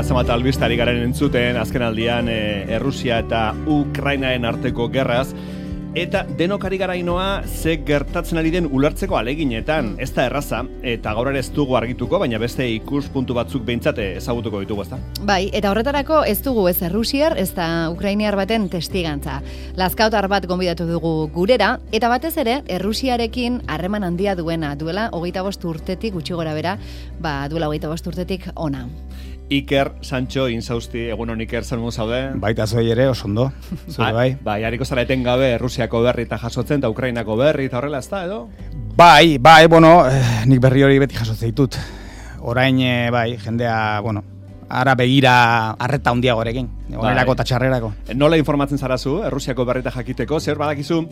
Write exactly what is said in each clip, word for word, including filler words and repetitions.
eta zenbat albistari garen entzuten, azken aldian e, Errusia eta Ukrainaren arteko gerraz, eta denokari garainoa ze gertatzen ari den ulertzeko aleginetan, ez da erraza, eta gaur ere ez dugu argituko, baina beste ikuspuntu batzuk behintzat ezagutuko ditugu, ezta? Bai, eta horretarako ez dugu ez errusiar, ez da ukrainiar baten testigantza. Lazkautar bat gonbidatu dugu gurera, eta batez ere, Errusiarekin harreman handia duena, duela hogeita bost urtetik, gutxi gora bera, ba, duela hogeita bost urtetik ona. Iker, Sancho, Inzausti, egun hon Iker, zer zaude? Baita zoi ere, osondo. Zure bai. Bai, hariko zara etengabe Errusiako berri eta jasotzen, eta Ukrainako berri eta horrela, ez da, edo? Bai, bai, bueno, eh, nik berri hori beti jasotzen ditut. Orain, eh, bai, jendea, bueno, ara begira arreta handiagorekin, onerako eta txarrerako. Nola informatzen zarazu, Errusiako berrita jakiteko, zer badakizu,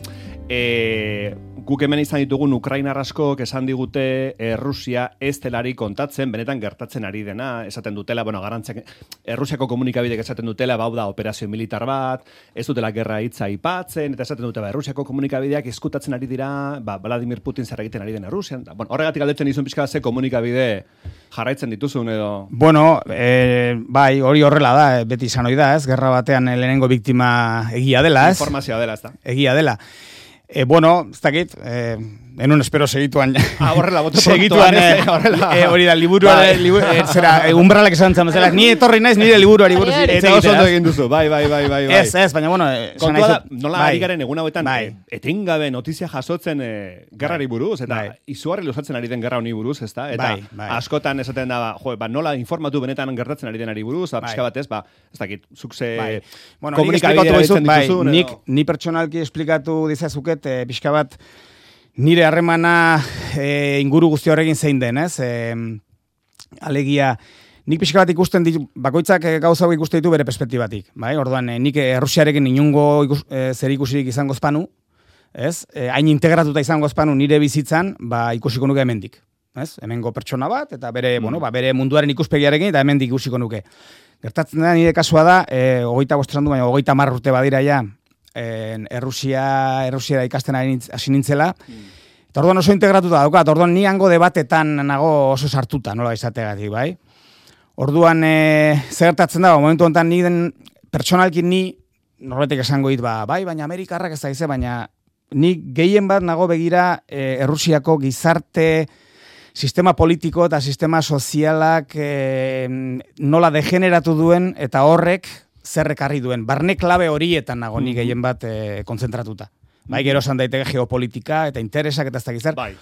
e, guk hemen izan ditugun Ukrainar askok esan digute Errusia ez delari kontatzen, benetan gertatzen ari dena, esaten dutela, bueno, garantziak, Errusiako komunikabidek esaten dutela, bau da operazio militar bat, ez dutela gerra hitza aipatzen, eta esaten dute, ba, Errusiako komunikabideak eskutatzen ari dira, ba, Vladimir Putin zer egiten ari den Errusian. Da, bueno, horregatik galdetzen dizun pixka ze komunikabide jarraitzen dituzun edo... Bueno, e, bai, hori horrela da, beti izan hori da, ez? Gerra batean lehenengo biktima egia dela, ez? Informazioa dela, ez da? Egia dela. E, bueno, ez dakit, eh, enun espero segituan. Ah, horrela, bote segituan, eh, horrela. Eh, hori da, liburuare, liburu, eh, zera, eh, umbralak esan zamezela, ni etorri naiz nire liburuari buruz. Eta oso ondo egin duzu, bai, bai, bai, bai. Ez, ez, baina, bueno, eh, kontua da, nola ari garen egun hauetan, bai. etengabe notizia jasotzen eh, gerrari buruz, eta bai. izugarri luzatzen ari den gerra honi buruz, ez da? Eta bai, bai. askotan esaten da, jo, ba, nola informatu benetan gertatzen ari denari buruz, ba, pixka batez, ba, ez dakit, zuk ze bai. bueno, komunikabidea ditzen dituzun. Nik, ni pertsonalki esplikatu dizazuket, eh, pixka bat, nire harremana e, inguru guzti horrekin zein den, ez? E, alegia, nik pixka bat ikusten ditu, bakoitzak gauza hau ikusten ditu bere perspektibatik, bai? Orduan, e, nik Errusiarekin inungo ikus, e, zer ikusirik izango espanu, ez? E, hain integratuta izango espanu nire bizitzan, ba, ikusiko nuke hemendik, ez? Hemengo pertsona bat, eta bere, mm. bueno, ba, bere munduaren ikuspegiarekin, eta hemendik ikusiko nuke. Gertatzen da, nire kasua da, e, hogeita bosteran du, baina hogeita marr urte badira ja, Errusia, Errusiara ikasten hasi nintzela. Mm. Eta orduan oso integratuta daukat, orduan ni hango debatetan nago oso sartuta, nola izategatik, bai? Orduan, e, zer gertatzen da, momentu honetan ni den pertsonalki ni norbetek esango dit, ba, bai, baina Amerikarrak ez da ize, baina ni gehien bat nago begira e, Errusiako gizarte sistema politiko eta sistema sozialak e, nola degeneratu duen eta horrek zerrekarri duen. Barne klabe horietan nago ni gehien bat e, konzentratuta. Bai, gero esan daiteke geopolitika eta interesak eta ez da gizar. Bai.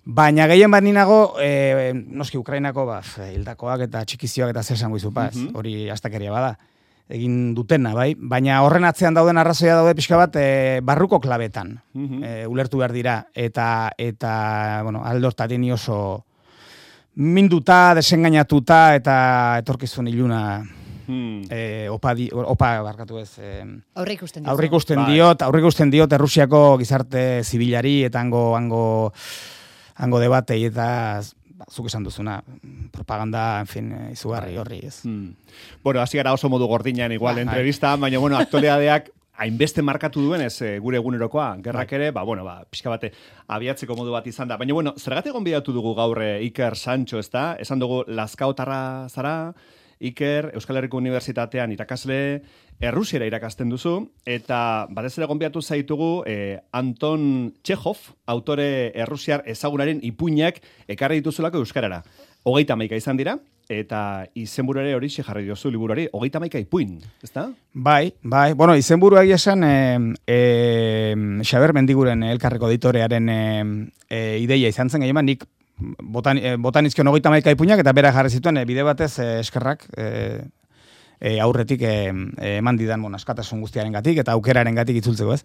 Baina gehien bat ninago, e, noski Ukrainako ba, hildakoak eta txikizioak eta zer esango izu, paz, mm -hmm. hori astakeria bada. Egin dutena, bai. Baina horren atzean dauden arrazoia daude pixka bat e, barruko klabetan. Mm -hmm. e, ulertu behar dira. Eta, eta bueno, aldortatik ni oso minduta, desengainatuta eta etorkizun iluna... Hmm. Eh, opa, di, opa barkatu ez eh, aurre ikusten, aurre ikusten diot aurre ikusten diot Errusiako gizarte zibilari eta hango hango hango debatei eta zuk esan duzuna propaganda, en fin, izugarri horri ez. Hmm. Bueno, hasi gara oso modu gordinan igual ba, entrevista, baina bueno, aktualitateak hainbeste markatu duen ez gure egunerokoa, gerrak ere, ba, bueno, ba, pixka bate abiatzeko modu bat izan da. Baina, bueno, zergatik gonbidatu dugu gaur Iker Sancho, ez da? Esan dugu Lazkaotarra zara, Iker, Euskal Herriko Unibertsitatean irakasle, Errusiera irakasten duzu, eta batez ere gonbidatu zaitugu eh, Anton Txehov, autore errusiar ezagunaren ipuinak ekarri dituzulako euskarara. Hogeita hamaika izan dira, eta izenburu ere hori jarri diozu liburuari, hogeita hamaika ipuin, ezta? Bai, bai, bueno, izenburu egia esan, e, e, Xaber Mendiguren elkarreko editorearen e, e, ideia izan zen gehieman, nik botan, e, botanizkion hogeita hamaika ipuinak, eta bera jarri zituen e, bide batez e, eskerrak, e, e, aurretik e, e, eman didan bon, askatasun guztiaren gatik, eta aukeraren gatik itzultzeko ez.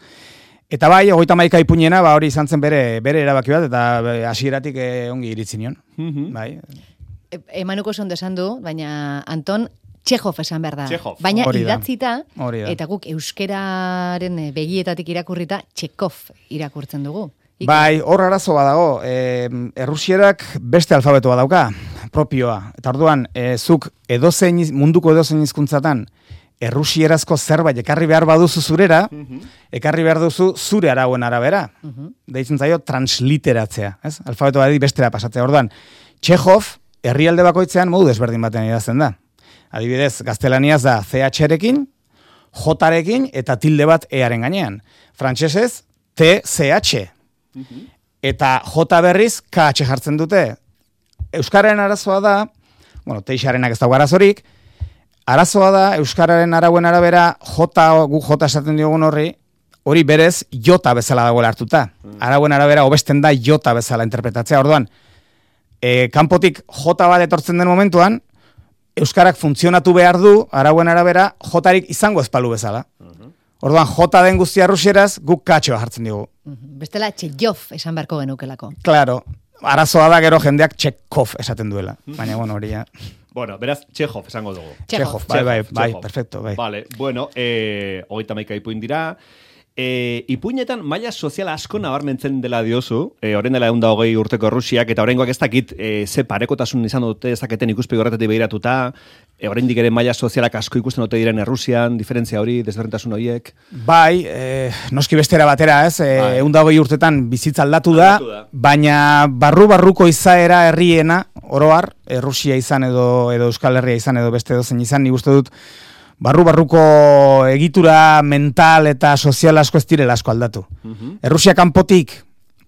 Eta bai, hogeita hamaika ipuinena, ba, hori izan zen bere, bere erabaki bat, eta hasieratik e, ongi iritzi nion. Mm-hmm. Bai. E, emanuko oso ondo esan du, baina Anton Txehov esan behar da. Txehov. Baina Hori da. idatzita, Hori da. eta guk euskeraren begietatik irakurrita Txekov irakurtzen dugu. Ike. Bai, hor arazo badago. E, Errusierak beste alfabeto badauka, propioa. Eta orduan, e, zuk edozein, munduko edozein hizkuntzatan errusierazko zerbait ekarri behar baduzu zurera, uh-huh. ekarri behar duzu zure arauen arabera. Uh-huh. Deitzen zaio transliteratzea, ez? Alfabeto badi bestera pasatzea. Orduan, Txehov herrialde bakoitzean modu desberdin baten idazten da. Adibidez, gaztelaniaz da C H-rekin, J-rekin eta tilde bat E-aren gainean. Frantsesez T C H. Uh-huh. Eta J berriz K H jartzen dute. Euskararen arazoa da, bueno, teixarenak ez dago arazorik, arazoa da, Euskararen arauen arabera, J, gu J esaten diogun horri, hori berez jota bezala dagoela hartuta. Arauen arabera hobesten da jota bezala interpretatzea. Orduan, e, kanpotik J bat etortzen den momentuan, Euskarak funtzionatu behar du, arauen arabera, J-rik izango ezpalu bezala. Orduan, J den guztia rusieraz, guk katxoa jartzen digu. Bestela, Txekov esan beharko genukelako. Claro, arazoa da gero jendeak Txekov esaten duela. Baina, bueno, hori ja. Bueno, beraz, Txekov esango dugu. Txekov, bai, bai, bai, perfecto, bai. Vale, bueno, eh, hogeita maika ipuin dira. E, ipuinetan maila soziala asko nabarmentzen dela diozu, e, orain dela egun da hogei urteko Errusiak, eta oraingoak ez dakit e, ze parekotasun izan dute ezaketen ikuspegi horretatik behiratuta, e, oraindik ere maila sozialak asko ikusten dute diren Errusian, diferentzia hori, desberdintasun horiek. Bai, e, noski bestera batera, ez? E, bai. Egun da hogei urtetan bizitza aldatu da, aldatu da, baina barru-barruko izaera herriena, oroar, Errusia izan edo, edo Euskal Herria izan edo beste dozen izan, nik uste dut, barru-barruko egitura mental eta sozial asko ez direla asko aldatu. Uh-huh. Errusia kanpotik,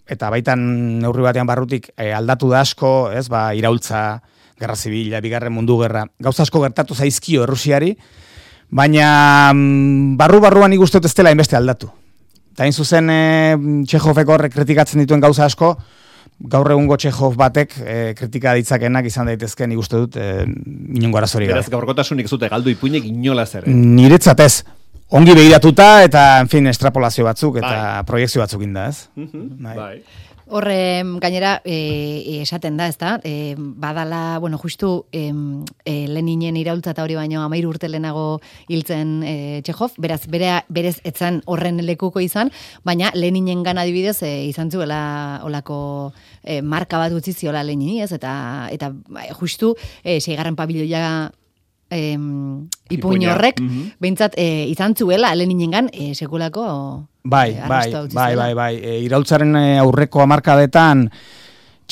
eta baitan neurri batean barrutik, e, aldatu da asko, ez, ba, iraultza, gerra zibila, bigarren mundu gerra, gauza asko gertatu zaizkio Errusiari, baina mm, barru-barruan ikusten ez dela inbeste aldatu. Eta hain zuzen, e, Txekhovek horrek kritikatzen dituen gauza asko, gaur egungo Txekhov batek e, kritika ditzakenak izan daitezke nik uste dut e, inongo arazori gabe. Beraz, gaurkotasunik zute galdu ipuinek inola zer. Niretzat ez. Ongi begiratuta eta, en fin, estrapolazio batzuk eta bai. Proiekzio batzuk inda, ez? Uh-huh. Bai. Bai. Horre, gainera, e, esaten da, ez da, e, badala, bueno, justu e, e, Leninen iraultza eta hori baino amairu urte lehenago hiltzen e, Txekov, beraz, bere, berez etzan horren lekuko izan, baina Leninen gana adibidez e, izan zuela olako e, marka bat utzi ziola Lenini, ez, eta, eta justu e, seigarren pabiloia Eh, ipuin horrek, mm-hmm. behintzat eh, izan zuela Leninengan eh, sekulako bai, eh, bai, bai, bai, bai, e, iraultzaren aurreko hamarkadetan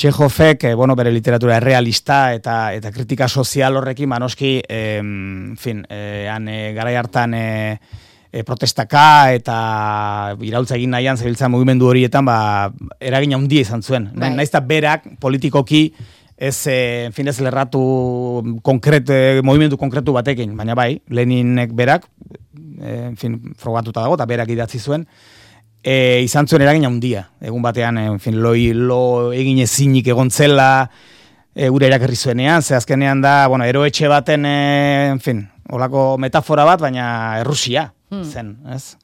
Txekhovek, eh, bueno, bere literatura errealista eta eta kritika sozial horrekin manoski, eh, en fin, eh, han eh, garai hartan eh, eh, protestaka eta iraultza egin nahian zebiltza mugimendu horietan, ba, eragin handia izan zuen. Bai. Naiz eta berak politikoki ez, en fin, ez lerratu konkret, movimendu konkretu batekin, baina bai, Leninek berak, en fin, frogatuta dago, eta berak idatzi zuen, e, izan zuen eragin handia. Egun batean, en fin, lo, lo egin ezinik egon zela, e, gure erakerri zuenean, ze azkenean da, bueno, eroetxe baten, e, en fin, olako metafora bat, baina Errusia hmm. zen, ez?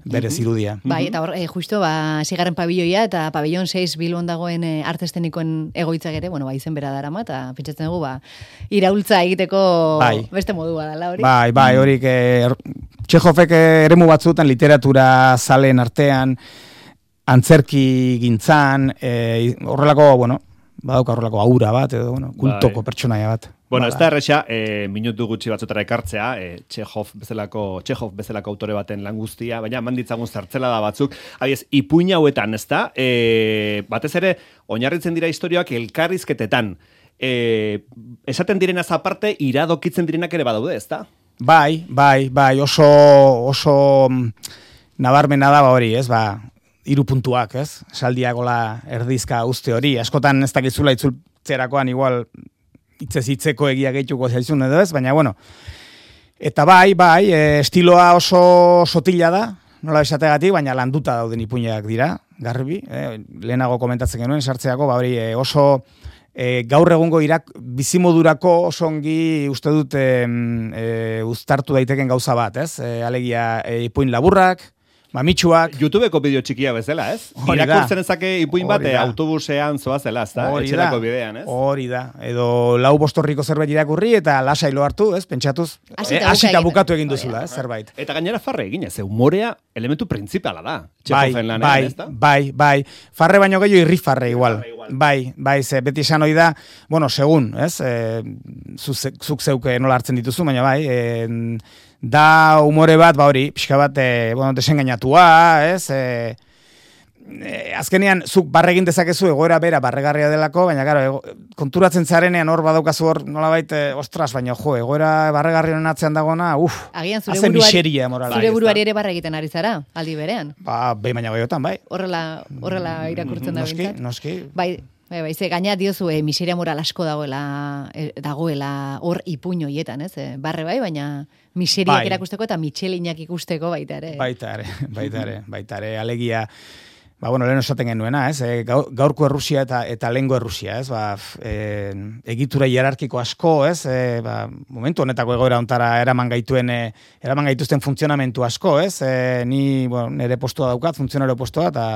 Bere zirudia. Bai, eta hor, eh, justo, ba, sigarren pabilloia eta pabillon seis Bilbon dagoen eh, arte estenikoen egoitzak ere, bueno, ba, izen bera darama, eta pentsatzen dugu, ba, iraultza egiteko bai. Beste modua dela hori. Bai, bai, horik, eh, Txekhovek eremu batzutan literatura zalen artean, antzerki gintzan, eh, horrelako, bueno, badauka horrelako aura bat, edo, bueno, kultoko bai. Pertsonaia bat. Bueno, ez da erresa, e, minutu gutxi batzutara ekartzea, e, Txekhov bezalako, Txekhov bezalako autore baten lan guztia, baina manditzagun zertzela da batzuk. Abiez, ipuin hauetan, ez da? E, batez ere, oinarritzen dira historioak elkarrizketetan. E, esaten direnaz aparte, iradokitzen direnak ere badaude, ez da? Bai, bai, bai, oso, oso nabarmena da hori, ez, ba, hiru puntuak, ez? Saldiagola erdizka uste hori, askotan ez dakizula itzultzerakoan igual hitzez hitzeko egia gehituko zaizun edo ez, baina bueno. Eta bai, bai, e, estiloa oso sotila da, nola esategatik, baina landuta dauden ipuinak dira, garbi, e, lehenago komentatzen genuen, sartzeako, ba hori e, oso e, gaur egungo irak bizimodurako oso ongi uste dut e, e, uztartu daiteken gauza bat, ez? E, alegia e, ipuin laburrak, mamitsuak. YouTubeko bideo txikia bezala, ez? Irakurtzen ezake ipuin bat autobusean zoazela, ez da? Etxerako bidean, ez? Hori da. Edo lau bostorriko zerbait irakurri eta lasai lo hartu, ez? Pentsatuz, hasita bukatu egin duzula, ez? Zerbait. Eta gainera farre egin, ez? Humorea elementu printzipala da. Bai, bai, bai, bai. Farre baino gehiago irri farre igual. Bai, bai, ze beti esan hoi da, bueno, segun, ez? Zuk zeuke nola hartzen dituzu, baina bai, da humore bat, ba hori, pixka bat, e, bueno, desengainatua, ez? E, e, azkenean, zuk barregin dezakezu egoera bera barregarria delako, baina, gara, ego, konturatzen zarenean hor badaukazu hor, nolabait, e, ostras, baina, jo, egoera barregarrien atzean dagoena, uf, agian zure hazen buruari, miseria morala. zure buruari ere barra egiten ari zara, aldi berean. Ba, behin baina goiotan, bai. Horrela, horrela irakurtzen da Noski, bintzat. noski. Bai, bai, bai, ze gaina diozu e, miseria moral asko dagoela, e, dagoela hor ipuño hietan, ez? E, barre bai, baina miseriak Bai. erakusteko eta mitxelinak ikusteko baita ere. Baita ere, baita ere, baita ere, alegia, ba, bueno, lehen esaten genuena, ez, e, gaurko Errusia eta, eta lehengo Errusia, ez, ba, e, egitura hierarkiko asko, ez, e, ba, momentu honetako egoera ontara eraman gaituen, e, eraman gaituzten funtzionamentu asko, ez, e, ni, bueno, nire postua daukat, funtzionario postua, eta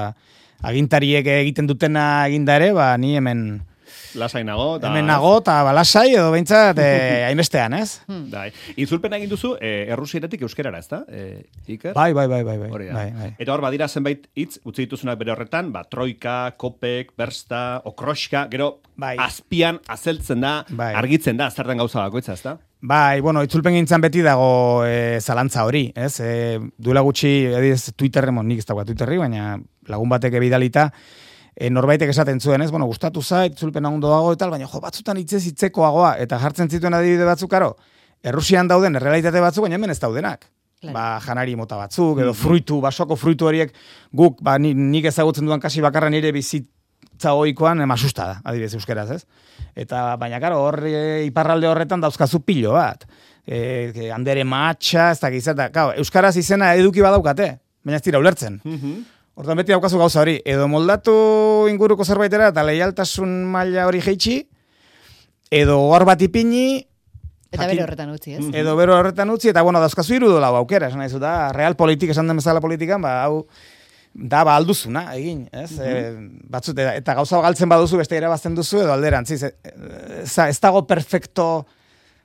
agintariek egiten dutena eginda ere, ba, ni hemen... Lasai nago. Da... Hemen nago, eta balasai, edo behintzat, eh, hainbestean, ez? Dai. Itzulpen egin duzu, eh, errusieratik euskerara, ez da? Eh, Iker? Bai, bai, bai, bai, bai. Hori da. bai, bai. Eta hor badira zenbait hitz utzi dituzunak bere horretan, ba, troika, kopek, bersta, okroska, gero Bai. azpian azeltzen da, Bai. argitzen da, zertan gauza bakoitza, ez da? Bai, bueno, itzulpen gintzan beti dago e, zalantza hori, ez? E, duela gutxi, ediz, Twitterren, nik ez dagoa Twitterri, baina lagun batek ebidalita, e, norbaitek esaten zuen, ez? Bueno, gustatu zait, itzulpen ondo dago eta baina jo, batzutan hitzez hitzekoagoa, eta jartzen zituen adibide batzuk, karo, Errusian dauden errealitate batzuk, baina hemen ez daudenak. Claro. Ba, janari mota batzuk, edo fruitu, basoko fruitu horiek, guk, ba, nik ezagutzen dudan kasi bakarra nire bizitza ohikoan emasusta da, adibidez euskeraz, ez? Eta, baina, karo, hor e, iparralde horretan dauzkazu pilo bat. E, andere matxa, ez da gizata. Kau, euskaraz izena eduki badaukate, baina ez dira ulertzen. Hortan beti daukazu gauza hori. Edo moldatu inguruko zerbaitera eta leialtasun maila hori jeitsi, edo hor bat ipini, eta bero horretan utzi, ez? Edo bero horretan utzi, eta bueno, dauzkazu irudu lau aukera, esan nahizu, da, real politik, esan den bezala politikan, ba, hau, da, ba, alduzuna, egin, ez? Mm -hmm. e, batzut, eta, eta gauza galtzen baduzu, beste irabazten duzu, edo alderantziz, ez, ez dago perfecto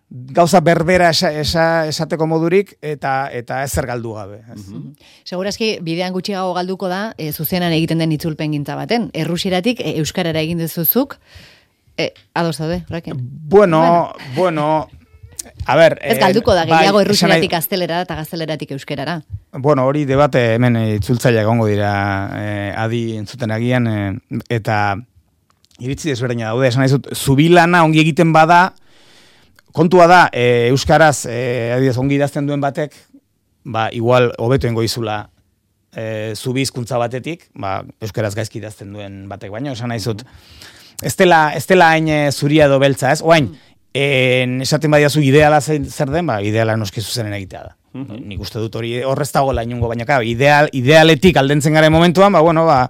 gauza berbera esa, esa, esateko modurik, eta eta ezer galdu gabe. Ez? Mm -hmm. Segurazki, bidean gutxiago galduko da, e, zuzenan egiten den itzulpen gintza baten. Errusieratik, e, euskarara egin dezuzuk, e, ados daude, horrekin? Bueno, bueno, bueno a ver... Ez galduko da, gehiago bai, errusieratik gaztelerara eta gazteleraratik euskerara. Bueno, hori debate hemen itzultzaile egongo dira e, adi entzuten agian, e, eta iritzi desberdina daude, esan dizut, zubilana ongi egiten bada, kontua da, e, euskaraz, e, adibidez, ongi idazten duen batek, ba, igual, hobeto engo izula e, zubi hizkuntza batetik, ba, euskaraz gaizki idazten duen batek, baina, esan nahizut, ez dela, ez dela hain zuria edo beltza, ez? Oain, en, esaten badiazu ideala zer den, ba, ideala noski zuzenen egitea da. Mm-hmm. Nik uste dut hori horrez dagoela inungo, baina, claro, ideal, idealetik aldentzen garen momentuan, ba, bueno, ba,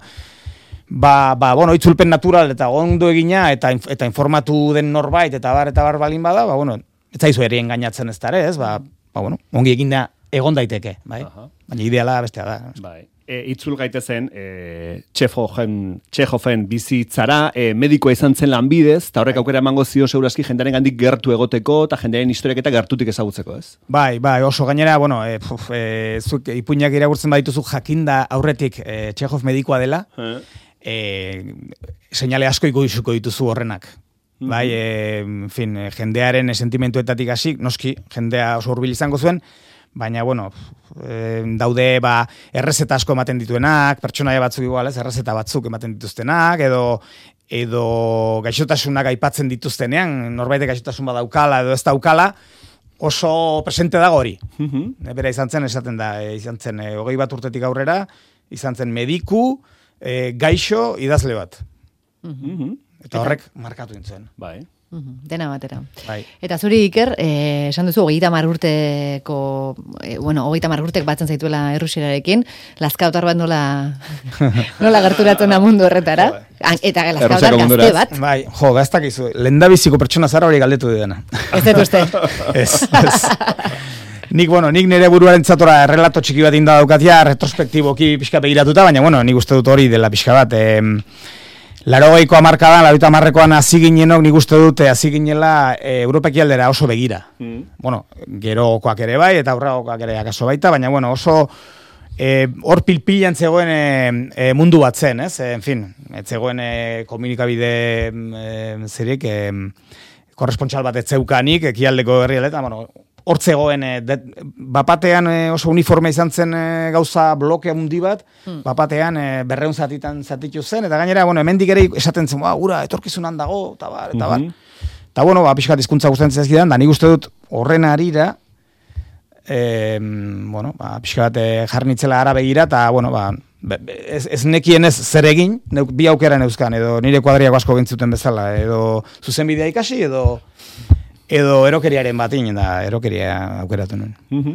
Ba, ba, bueno, itzulpen natural eta ondo egina eta eta informatu den norbait eta bar eta bar balin bada, ba, bueno, ez zaizu ere engainatzen ez dare, ez? Ba, ba, bueno, ongi eginda egon daiteke, bai? Aha. Baina ideala bestea da. Bai. E, itzul gaitezen, e, Txehofen, Txehofen bizitzara, e, medikoa izan zen lanbidez, eta horrek aukera emango zio segurazki jendearen gandik gertu egoteko, eta jendearen historiak eta gertutik ezagutzeko, ez? Bai, bai, oso gainera, bueno, e, puf, e, zuk ipuinak irakurtzen badituzu jakinda aurretik e, Txehov medikoa dela, eh. E, seinale asko ikusuko dituzu horrenak. Mm-hmm. Bai, e, en fin, jendearen sentimentuetatik hasi, noski, jendea oso hurbil izango zuen, baina, bueno, e, daude, ba, errezeta asko ematen dituenak, pertsonaia batzuk igual, ez, errezeta batzuk ematen dituztenak, edo, edo gaixotasunak aipatzen dituztenean, norbaitek gaixotasun badaukala edo ez daukala, oso presente dago hori. Mm-hmm. Bera izan zen, esaten da, e, izan zen, e, hogei bat urtetik aurrera, izan zen mediku, E, gaixo idazle bat. Mm-hmm. Eta horrek markatu nintzen. Bai. Mm-hmm. Dena batera. Bai. Eta zuri, Iker, eh, esan duzu, hogeita hamar urteko, eh, bueno, hogeita hamar urtek batzen zaituela errusierarekin, lazkautar bat nola, nola gerturatzen da mundu horretara. Eta lazkautar gazte bat. Bai, jo, gaztak izu, lendabiziko pertsona zara hori galdetu didana. Ez dut uste. Ez, ez. Nik, bueno, nik nire buruaren zatora errelato txiki bat inda daukatia, retrospektiboki pixka begiratuta, baina, bueno, nik uste dut hori dela pixka bat. E, Laro geiko amarkadan, lauita amarrekoan hasi ginenok, nik uste dut hasi ginela e, Europaki aldera oso begira. Mm. Bueno, gerokoak ere bai, eta aurragokoak ere akaso baita, baina, bueno, oso e, hor pilpilan zegoen e, e, mundu bat zen, ez? E, en fin, ez zegoen e, komunikabide e, zerik, e, korrespontxal bat ez zeukanik, ekialdeko herrialetan, bueno, hortzegoen, e, bapatean e, oso uniforme izan zen e, gauza bloke handi bat, hmm. bapatean e, berreun zatitan zatitu zen, eta gainera, bueno, hemendik ere esaten zen, ura, etorkizunan dago, eta bar, eta bar. Mm-hmm. Eta, bueno, ba, pixkat hizkuntza gustatzen zaizkidan, da nik uste dut horren arira, e, bueno, ba, pixkat e, jarnitzela ara begira, eta, bueno, ba, ez, ez nekien ez zer egin, neuk, bi aukera neuzkan, edo nire kuadriako asko gintzuten bezala, edo zuzenbidea ikasi, edo edo erokeriaren batin, da erokeria aukeratu nuen. Uh-huh.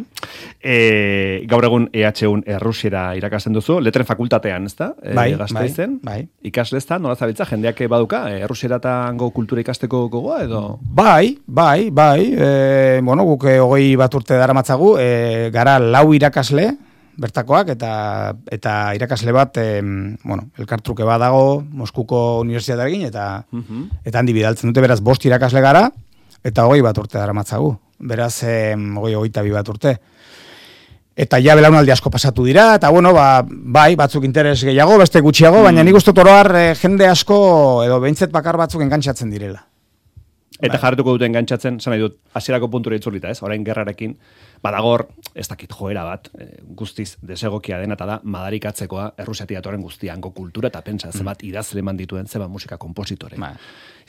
E, gaur egun E H U Errusiera irakasten duzu, letren fakultatean, ez da? E, bai, Gasteizen, bai, bai. Ikasle ez da, nola zabiltza, jendeak baduka, Errusiera eta hango kultura ikasteko gogoa, edo? Bai, bai, bai, e, bueno, guk hogei bat urte daramatzagu, e, gara lau irakasle, bertakoak, eta eta irakasle bat, e, bueno, elkartruke bat dago, Moskuko unibertsitatearekin, eta, uh-huh. eta handi bidaltzen dute, beraz, bost irakasle gara, eta hogei bat urte daramatzagu. Beraz, eh, hogei hogeita bi bat urte. Eta ja belaunaldi asko pasatu dira, eta bueno, ba, bai, batzuk interes gehiago, beste gutxiago, mm. baina nik uste toroar eh, jende asko, edo behintzet bakar batzuk engantzatzen direla. Eta bai. jarretuko duten engantzatzen, zan nahi dut, hasierako puntura itzulita, ez? Orain gerrarekin, badagor, ez dakit joera bat, e, guztiz desegokia dena, eta da, madarikatzekoa Errusiatik datorren guztiango kultura, eta pentsa, mm. zebat idazle eman dituen, zebat musika kompositore. Bai.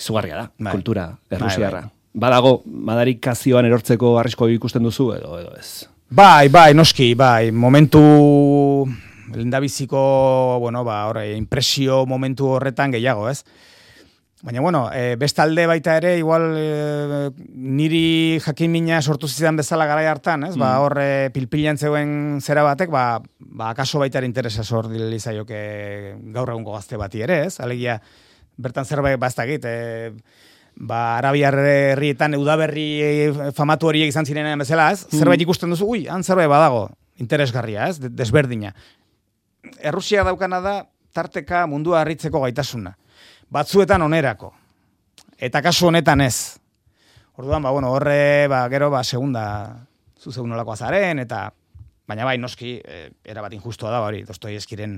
Izugarria da, bai. Kultura errusiarra. Bai, bai. Badago, madarikazioan erortzeko arrisko ikusten duzu, edo, edo ez? Bai, bai, noski, bai, momentu lendabiziko, bueno, ba, horre, impresio momentu horretan gehiago, ez? Baina, bueno, e, bestalde baita ere, igual e, niri jakimina sortu zidan bezala garai hartan, ez? Mm. Ba, horre pilpilan zeuen zera batek, ba, ba akaso baita ere interesa sor dizaioke gaur egungo gazte bati ere, ez? Alegia, bertan zerbait bastakit, e, ba, Arabiar herrietan udaberri famatu horiek izan zirenean bezala, ez? Mm. Zerbait ikusten duzu, ui, han zerbait badago, interesgarria, ez? Desberdina. Errusia daukana da, tarteka mundua harritzeko gaitasuna. Batzuetan onerako. Eta kasu honetan ez. Orduan, ba, bueno, horre, ba, gero, ba, segunda, zu segun nolako azaren, eta, baina bai, noski, e, erabat injustua da, hori, Dostoievskiren,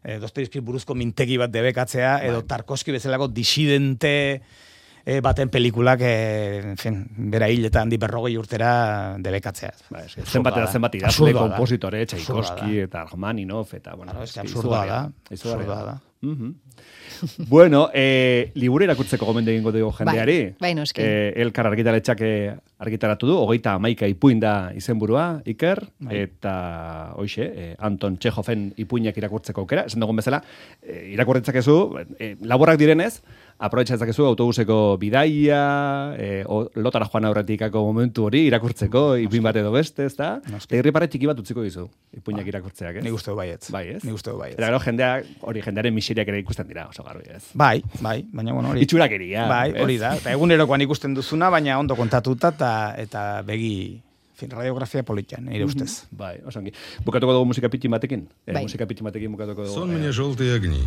e, Dostoievski buruzko mintegi bat debekatzea, edo Tarkovski bezalako disidente e, baten pelikulak, e, en fin, bera hil eta handi berrogei urtera debekatzea. Ba, es, zenbat eta zenbat idazle, kompositore, Tchaikovsky eta Rachmaninov, eta, bueno, claro, es que absurdoa da, absurdoa da. Uh-huh. Bueno, eh, liburu irakurtzeko gomendu egingo dugu jendeari. Bai, bai noski. Eh, Elkar argitaletxak argitaratu du, hogeita hamaika ipuin da izenburua, Iker, bai. Eta hoxe, eh, Anton Txehoven ipuinak irakurtzeko aukera, esan dugun bezala, eh, irakurtzakezu, eh, laborrak direnez, aprobetxatzakezu autobuseko bidaia, eh, o, lotara joan aurretikako momentu hori irakurtzeko, ipuin bat edo beste, ez da? Eta irripare txiki bat utziko dizu, ipuinak ba. Irakurtzeak, ez? Nik uste du baietz. Bai, ez? Nik uste du baietz. Eta gero jendeak, hori jendearen miseriak ere ikusten dira, oso garbi, ez? Bai, bai, baina bueno, hori. Itxurakeria. Bai, hori da. Eta egunerokoan ikusten duzuna, baina ondo kontatuta eta eta begi, fin, radiografia politian, nire ustez. Mm-hmm. Bai, oso ongi. Bukatuko dugu musika pitin batekin? Bai. Eh, musika pitin batekin bukatuko dugu. Сон мне желтые огни.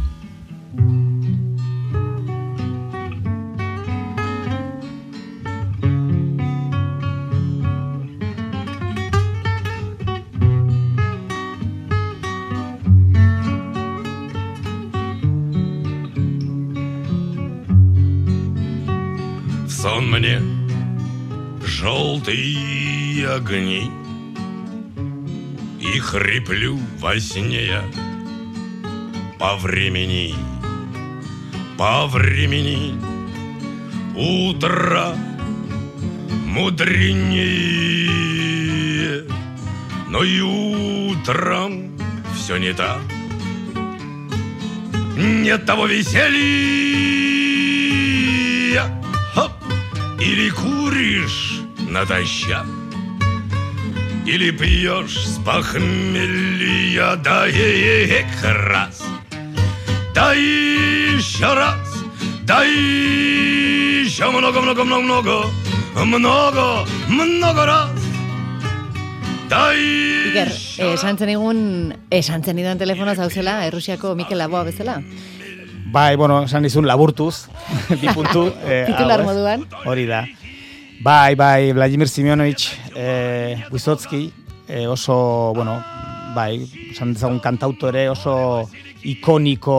Сон мне желтые огни, и хриплю во сне я. По времени, по времени, утро мудренее, но и утром все не так. Нет того веселья. Хоп! Или куришь натощак, или пьешь с похмелья, да и раз, да еще раз, да еще много-много-много-много, много-много раз. Iker, esan zen igun, esan zen idan telefonoz hau zela, Errusiako Mikel Laboa bezala? Bai, bueno, esan dizun laburtuz, bi puntu. Eh, Titular moduan. Hori da. Bai, bai, Vladimir Simeonovich eh, Wysocki, eh, oso, bueno, bai, esan dezagun kantautore oso ikoniko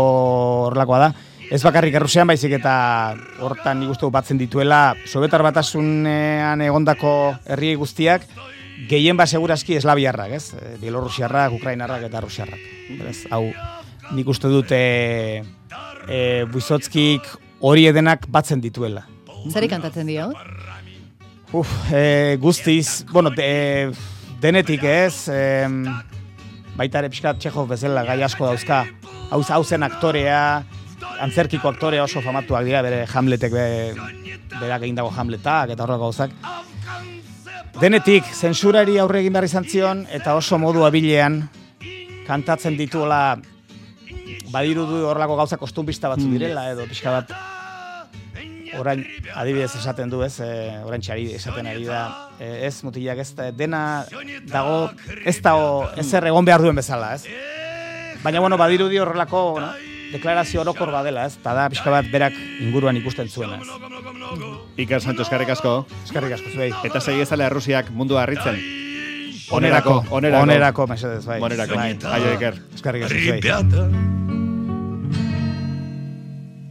horrelakoa da. ez bakarrik Errusian, baizik eta hortan nik uste batzen dituela Sobietar Batasunean egondako herri guztiak, gehien ba segurazki eslaviarrak, ez? Bielorrusiarrak, ukrainarrak eta rusiarrak. Beraz, hau nik uste dut e, e, Buizotskik hori edenak batzen dituela. Zeri kantatzen dio? Uf, e, guztiz, bueno, de, denetik ez, e, baita ere pixkat Txehov bezala gai asko dauzka, hau hau zen aktorea, antzerkiko aktorea oso famatuak dira, bere Hamletek, be, berak egin dago Hamletak eta horrek gauzak. Denetik, zentsurari aurre egin behar izan zion, eta oso modu abilean kantatzen dituela, badirudu horrelako gauza kostunbista batzu direla, edo pixka bat, orain adibidez esaten du, ez, e, orain txari esaten ari da, e, ez mutilak ez dena dago, ez dago ezer egon behar duen bezala, ez. Baina, bueno, badirudi horrelako, no, deklarazio orokor badela, ez, eta da pixka bat berak inguruan ikusten zuena, ez. Iker Sancho, eskerrik asko. Eskerrik asko, zuei. Eta segi ezala Errusiak mundua harritzen. Onerako, onerako, onerako, mesedez, bai. Onerako, bai. aio Iker. Eskerrik asko, zuei. Ребята,